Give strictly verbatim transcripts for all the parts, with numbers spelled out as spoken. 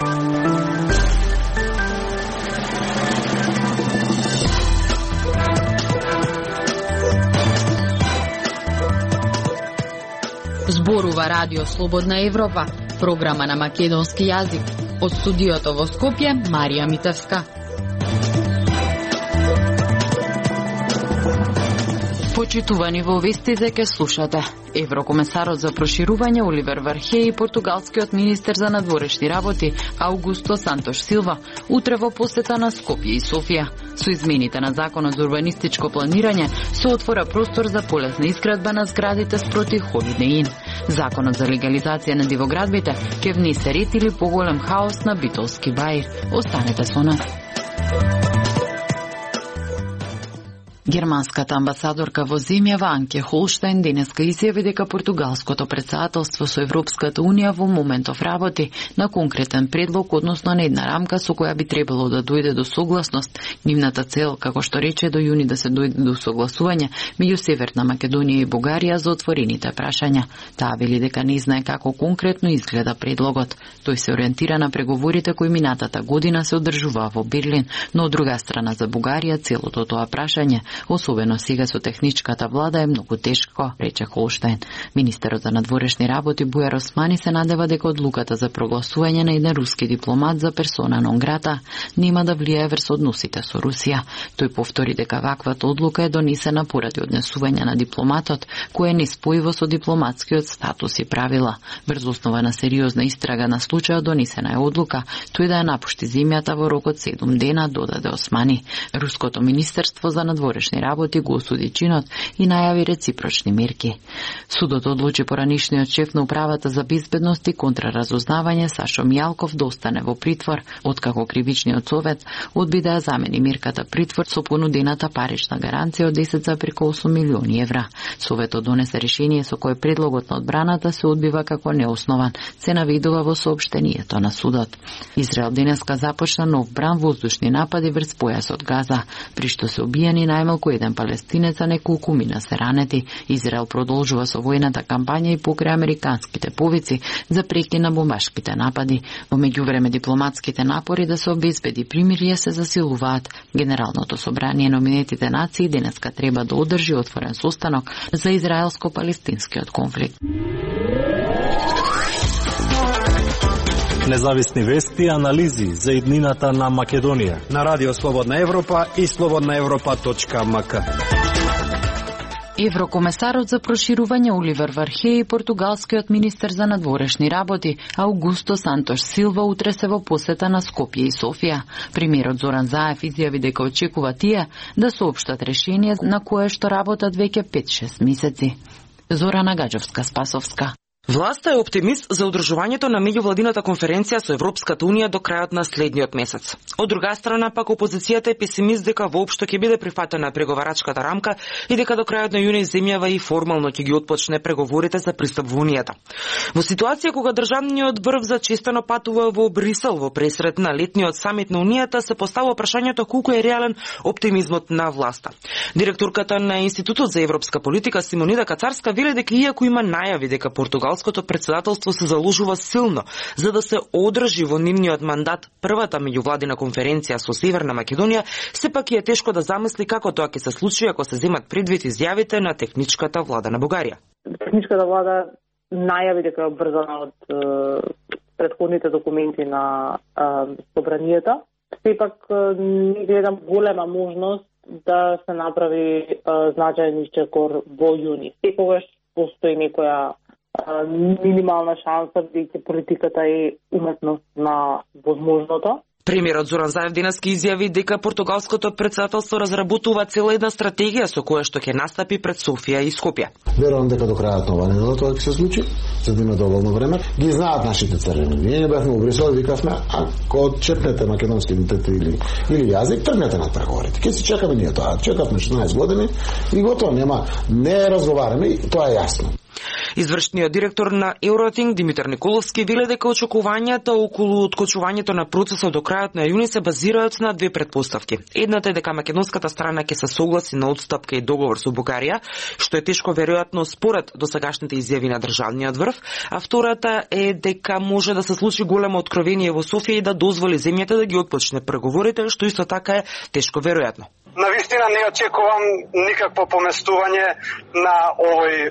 Зборува Радио Слободна Европа, програма на македонски јазик. Од студиото во Скопје, Марија Митевска. Почитувани во вестите ке слушате. Еврокомесарот за проширување Оливер Вархеј и португалскиот министер за надворешни работи Аугусто Сантош Силва утре во посета на Скопје и Софија. Со измените на Законот за урбанистичко планирање се отвора простор за полесна изградба на зградите спроти Холидей Ин. Законот за легализација на дивоградбите ќе внесе ред или поголем хаос на битолски баир. Останете со нас. Германската амбасадорка во земјава Анке Холштајн денеска изјави дека португалското претседателство со Европската унија во моментов работи на конкретен предлог, односно на една рамка со која би требало да дојде до согласност. Нивната цел, како што рече, до јуни да се дојде до согласување меѓу Северна Македонија и Бугарија за отворените прашања. Таа вели дека не знае како конкретно изгледа предлогот. Тој се ориентира на преговорите кои минатата година се одржуваа во Берлин, но од друга страна за Бугарија целото тоа прашање, особено сега со техничката влада, е многу тешко, рече Холштајн. Министерот за надворешни работи Бујар Османи се надева дека одлуката за прогласување на еден руски дипломат за персона нон грата нема да влијае врз односите со Русија. Тој повтори дека ваквата одлука е донесена поради однесување на дипломатот, кој е неспојиво со дипломатскиот статус и правила. Врз основа на сериозна истрага на случајот донесена е одлука тој да ја напушти земјата во рок од седум дена, додаде Османи. Руското министерство за надворешни работи го осуди чинот и најави реципрочни мерки. Судот одлучи поранишниот шеф на управата за безбедност и контраразузнавање Сашо Мијалков да остане во притвор, откако кривичниот совет одби да ја замени мерката притвор со понудената парична гаранција од десет зарез осум милиони евра. Советот донесе решение со кое предлогот на одбраната се одбива како неоснован, се наведува во соопштението на судот. Израел денеска започна нов бран воздушни напади врз појасот Газа, при што се убиени најмалку еден палестинец, а неколку мина се ранети. Израел продолжува со војната кампања и покрај американските повици за прекин на бомбашките напади. Во меѓувреме дипломатските напори да се обезбеди примирие се засилуваат. Генералното собрание на Обединетите нации денеска треба да одржи отворен состанок за израелско-палестинскиот конфликт. Независни вести и анализи за иднината на Македонија на Радио Слободна Европа и слободна европа точка ем ка. Еврокомесарот за проширување Оливер Вархеј и португалскиот министер за надворешни работи Аугусто Сантош Силва утре се во посета на Скопје и Софија. Премиерот Зоран Заев изјави дека очекува тие да соопштат решение на кое што работат веќе пет-шест месеци. Зорана Гаджовска-Спасовска. Власта е оптимист за одржувањето на меѓувладината конференција со Европската унија до крајот на следниот месец. Од друга страна, пак опозицијата е песимист дека воопшто ќе биде прифатена преговарачката рамка и дека до крајот на јуни земјава и формално ќе ги отпочне преговорите за пристап во Унијата. Во ситуација кога државниот врв зачестено патува во Брисел во пресрет на летниот самит на Унијата, се поставува прашањето колку е реален оптимизмот на власта. Директорката на Институтот за европска политика Симонида Кацарска вели дека иако има најави дека Португалското претседателство се заложува силно за да се одржи во нивниот мандат првата меѓувладина конференција со Северна Македонија, сепак е тешко да замисли како тоа ќе се случи ако се земат предвид изјавите на техничката влада на Бугарија. Техничката влада најави дека е обврзана од е, претходните документи на е, собранијата. Сепак не гледам голема можност да се направи е, значајен исчекор во јуни. Секогаш постои некоја минимална шанса дека политиката е уметност на возможното. Премиерот Зоран Заев денеска изјави дека португалското претседателство разработува цела една стратегија со која што ќе настапи пред Софија и Скопје. Верувам дека до крајот на оваа недела тоа ќе се случи, за да има доволно време. Ги знаат нашите црвени. Ние бевме во Брисел, викавме, ако чепнете македонски идентитет или или јазик, тргнете на преговорите. Ќе си чекаме ние тоа. Чекавме шеснаесет години и готово, нема, не разговараме, тоа е јасно. Извршниот директор на Евротинг Димитар Николовски вели дека очекувањата околу откочувањето на процесот до крајот на јуни се базираат на две претпоставки. Едната е дека македонската страна ќе се согласи на отстапка и договор со Бугарија, што е тешко веројатно според досегашните изјави на државниот врв, а втората е дека може да се случи големо откровение во Софија и да дозволи земјата да ги отпочне преговорите, што исто така е тешко веројатно. Навистина не очекувам никакво поместување на овој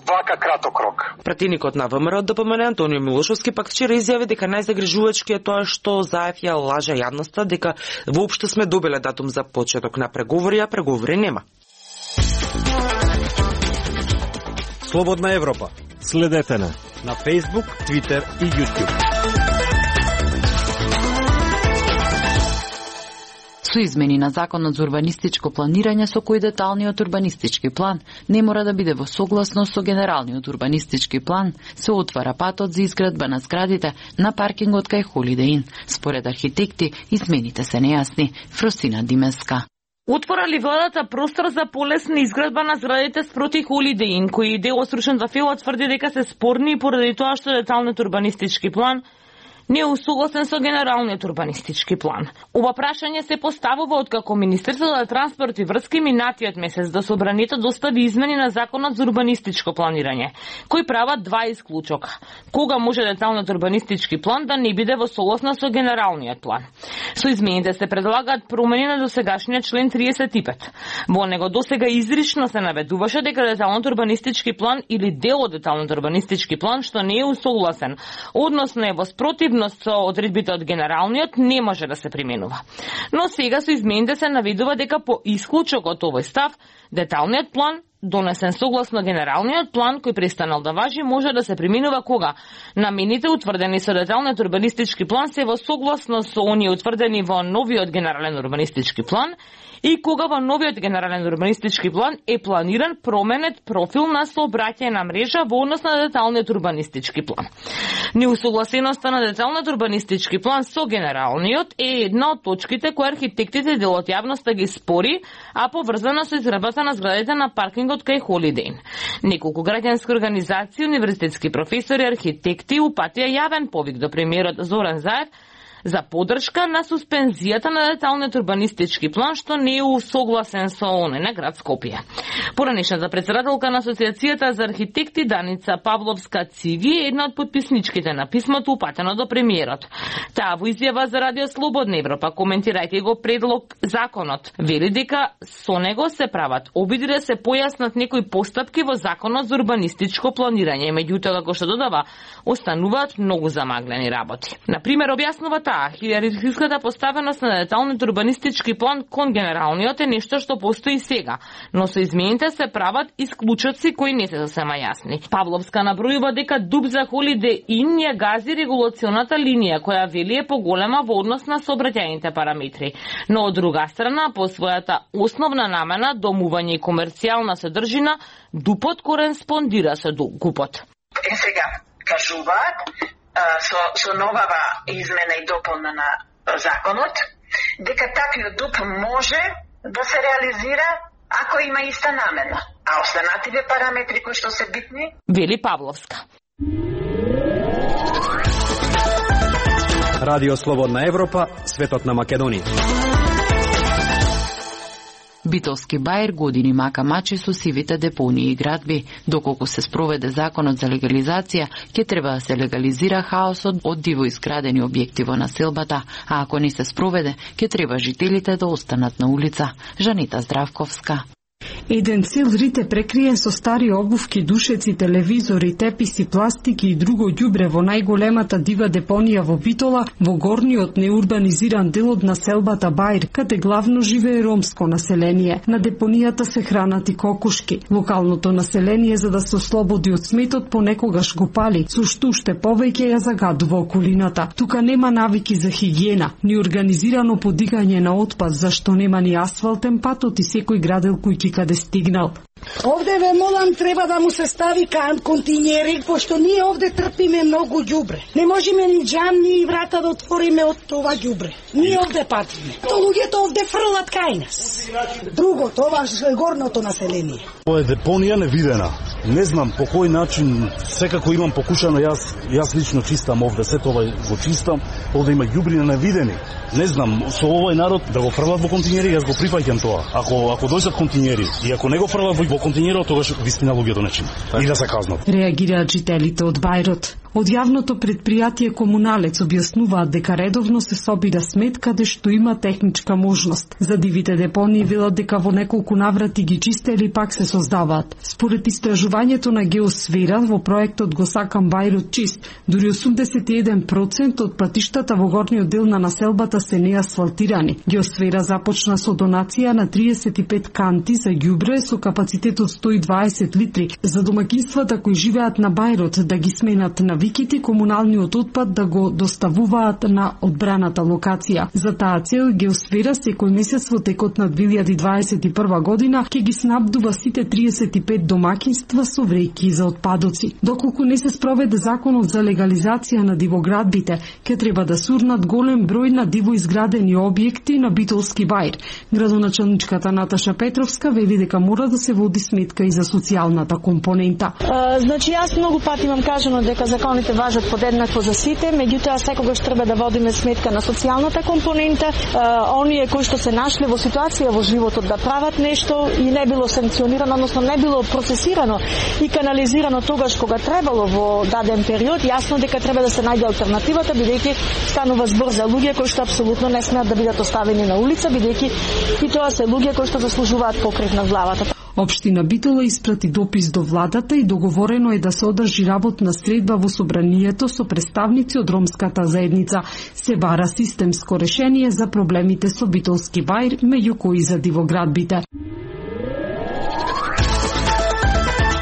вака краток рок. Пратеникот на ВМРО ДПМН Антонио Милошовски пак вчера изјави дека најзагрижувачки е тоа што Заев ја лаже јавноста дека воопшто сме добиле датум за почеток на преговори, а преговори нема. Слободна Европа. Следете на на Facebook, Twitter и YouTube. Со измени на Законот за урбанистичко планирање со кој деталниот урбанистички план не мора да биде во согласност со генералниот урбанистички план, се отвара патот за изградба на зградите на паркингот кај Holiday Inn. Според архитекти, измените се нејасни. Фросина Димеска. Отвора ли владата простор за полесна изградба на зградите спроти Holiday Inn, кои дел од стручната фела тврди дека се спорни поради тоа што деталниот урбанистички план не е усогласен со генералниот урбанистички план. Ова прашање се поставува откако Министерството за транспорт и врски минатиот месец до собранието достави измени на Законот за урбанистичко планирање, кои прават два исклучока. Кога може деталниот урбанистички план да не биде во согласност со генералниот план? Со измените се предлагаат промени на досегашниот член триесет и пет. Во него досега изрично се наведуваше дека деталниот урбанистички план или дел од деталниот урбанистички план што не е усогласен, односно е во спротив со одредбите од генералниот, не може да се применува. Но сега со измените се наведува дека по исклучок од овој став, деталниот план, донесен согласно генералниот план кој престанал да важи, може да се применува кога намените утврдени со деталниот урбанистички план се во согласност со оние утврдени во новиот генерален урбанистички план и кога во новиот генерален урбанистички план е планиран променет профил на сообраќајна мрежа во однос на деталниот урбанистички план. Неусогласеноста на деталниот урбанистички план со генералниот е една од точките кои архитектите дел од јавноста ги спори, а поврзана со изградбата на зградите на паркингот кај Holiday Inn. Неколку граѓански организации, универзитетски професори, архитекти упатија јавен повик до премиерот Зоран Заев за поддршка на суспензијата на деталниот урбанистички план, што не е усогласен со оној на град Скопје. Поранешната председателка на Асоциацијата за архитекти Даница Павловска Циги е една од подписничките на писмото упатено до премиерот. Таа во изјава за Радио Слободна Европа, коментирајќи го предлог законот, вели дека со него се прават обиди да се појаснат некои постапки во Законот за урбанистичко планирање, меѓутоа како што додава, остануваат многу замаглени работи. На пример, објаснува иерархиската поставеност на деталниот урбанистички план кон генералниот е нешто што постои сега, но со измените се прават исклучоци кои не се сосема јасни. Павловска набројува дека дуб за Holiday Inn ја гази регулационата линија која вели е поголема во однос на сообраќајните параметри, но од друга страна по својата основна намена домување и комерцијална содржина дупот кореспондира со дупот. Е сега кажуваат со, со новава измена и дополна на законот, дека таквиот дуп може да се реализира ако има иста намена, а останативе параметри кои што се битни, вели Павловска. Радио Слободна Европа, светот на Македонија. Битолски бајер години мака мачи со сивите депонии и градби. Доколку се спроведе законот за легализација, ќе треба да се легализира хаосот од диво изградени објекти во населбата, а ако не се спроведе, ќе треба жителите да останат на улица. Жанита Здравковска. Еден цел рите прекриен со стари обувки, душеци, телевизори, теписи, пластики и друго ѓубре во најголемата дива депонија во Битола, во горниот неурбанизиран дел од населбата Бајр, каде главно живее ромско население. На депонијата се хранат и кокушки. Локалното население, за да се ослободи од сметот, понекогаш го пали, со што уште повеќе ја загадува околината. Тука нема навики за хигиена, ни организирано подигање на отпад, зашто нема ни асфалтен патот и секој градел кујки каде стигнал. Овде ве молам, треба да му се стави кан континери, пошто ние овде трпиме многу ѓубре. Не можеме ни џамни и врата да отвориме од това ѓубре. Ние овде патиме. То луѓето овде фрлат кај нас. Друго, това е горното население. Ова е депонија невидена. Не знам по кој начин, секако имам покушано, јас, јас лично чистам овде, се тоа го чистам, овде има ѓубри невидени. Не знам, со овој народ да го фрлат во континери, јас го прифаќам тоа. Ако ако дојдат континери и ако не го фрлат во континерот, тогаш вистина луѓето нечим. И да се казнат. Реагираат жителите од Бајрот. Од јавното предпријатие Комуналец објаснуваат дека редовно се собира смет каде што има техничка можност. За дивите депонии велат дека во неколку наврати ги чистели пак се создаваат. Според истражувањето на Геосфера во проектот Го сакам Бајрот чист, дури осумдесет и еден проценти од патиштата во горниот дел на населбата се неасфалтирани. Геосфера започна со донација на триесет и пет канти за ѓубре со капацитет од сто и дваесет литри за домаќинствата кои живеат на Бајрот да ги сменат на виките комуналниот отпад да го доставуваат на одбраната локација. За таа цел Геосфера секој месец во текот на две илјади дваесет и прва година ќе ги снабдува сите триесет и пет домаќинства со вреќи за отпадоци. Доколку не се спроведе законот за легализација на дивоградбите, ќе треба да сурнат голем број на диво изградени објекти на Битолски бајр. Градоначалничката Наташа Петровска вели дека мора да се води сметка и за социјалната компонента. А, значи јас многу пати имам кажано дека законите важат подеднакво за сите, меѓутоа секогаш треба да водиме сметка на социјалната компонента. А, оние кои што се нашле во ситуација во животот да прават нешто и не било санкционирано, односно не било процесирано и канализирано тогаш кога требало во даден период, јасно дека треба да се најде алтернативата, бидејќи станува збор за луѓе кои што апсолутно не смеат да бидат оставени на улица, бидејќи и тоа се луѓе кои што заслужуваат покрив над главата. Општина Битола испрати допис до владата и договорено е да се одржи работна средба во собранието со представници од ромската заедница. Се бара системско решение за проблемите со Битолски бајр, меѓу кои за дивоградбите.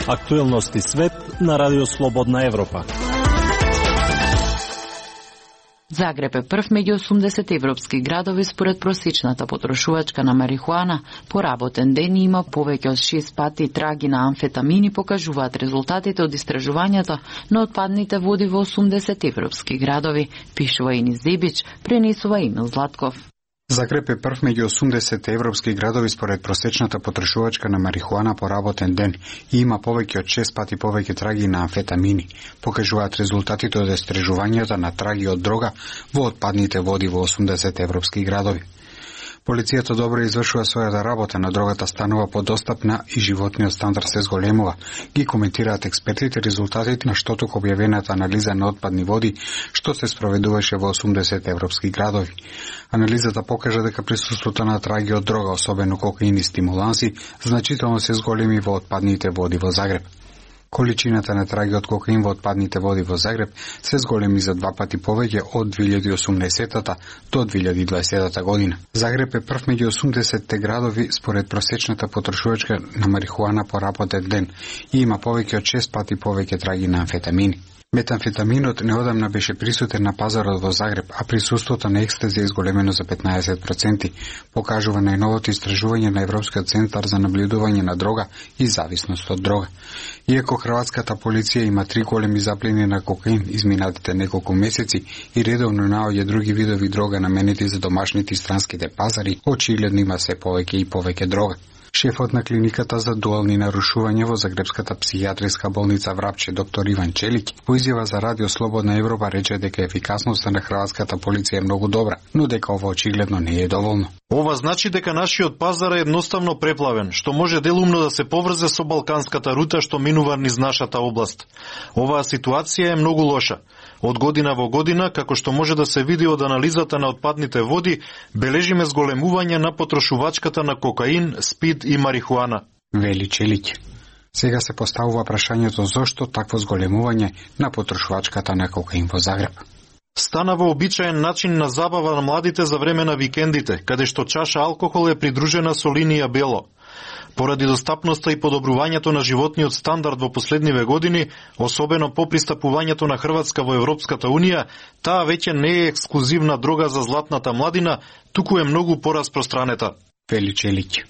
Актуелности свет на Радио Слободна Европа. Загреб е прв меѓу осумдесет европски градови според просечната потрошувачка на марихуана. По работен ден има повеќе од шест пати траги на амфетамини, покажуваат резултатите од истражувањето на отпадните води во осумдесет европски градови, пишува Инис Зебич, пренесува Емил Златков. Загреб е прв меѓу осумдесет европски градови според просечната потрошувачка на марихуана по работен ден и има повеќе од шест пати повеќе траги на амфетамини, покажуваат резултатите од истражувањето на траги од дрога во отпадните води во осумдесет европски градови. Полицијата добро извршува својата работа, но дрогата станува подостапна и животниот стандард се зголемува, ги коментираат експертите резултатите на штото објавената анализа на отпадни води, што се спроведуваше во осумдесет европски градови. Анализата покажа дека присуството на траги од дрога, особено кокаин и стимуланси, значително се зголеми во отпадните води во Загреб. Количината на траги од кокаин во отпадните води во Загреб се зголеми за два пати повеќе од две илјади и осумнаесетта до две илјади и дваесетта година. Загреб е прв меѓу осумдесетте градови според просечната потрошувачка на марихуана по работен ден и има повеќе од шест пати повеќе траги на амфетамини. Метамфетаминот неодамна беше присутен на пазарот во Загреб, а присуството на екстази е зголемено за петнаесет проценти, покажува најновото истражување на Европскиот центар за наблюдување на дрога и зависност од дрога. Иако хрватската полиција има три големи заплени на кокаин изминатите неколку месеци и редовно наоѓа други видови дрога наменети за домашните и странските пазари, очигледно има се повеќе и повеќе дрога. Шефот на клиниката за дуални нарушувања во Загребската психијатриска болница Врапче, доктор Иван Челик, во изјава за Радио Слободна Европа рече дека ефикасноста на хрватската полиција е многу добра, но дека ова очигледно не е доволно. Ова значи дека нашиот пазар е едноставно преплавен, што може делумно да се поврзе со балканската рута што минува низ нашата област. Оваа ситуација е многу лоша. Од година во година, како што може да се види од анализата на отпадните води, бележиме зголемување на потрошувачката на кокаин, спид и марихуана. Вели Челик. Сега се поставува прашањето зошто такво зголемување на потрошувачката на кокаин во Загреб. Стана во обичаен начин на забава на младите за време на викендите, каде што чаша алкохол е придружена со линија бело. Поради достапноста и подобрувањето на животниот стандард во последниве години, особено по пристапувањето на Хрватска во Европската Унија, таа веќе не е ексклузивна дрога за златната младина, туку е многу пораспространета. Вели Челик.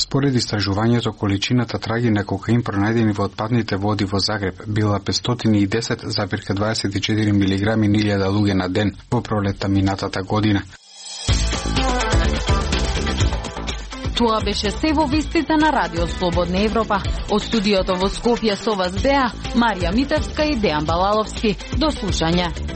Според истражувањето, количината траги на кокаин пронајдени во отпадните води во Загреб била петстотини и десет зарез дваесет и четири милиграми на илјада луѓе на ден во пролетта минатата година. Тоа беше се во вестите на Радио Слободна Европа. Од студиото во Скопје со вас беа Марија Митевска и Дејан Балаловски. До слушање.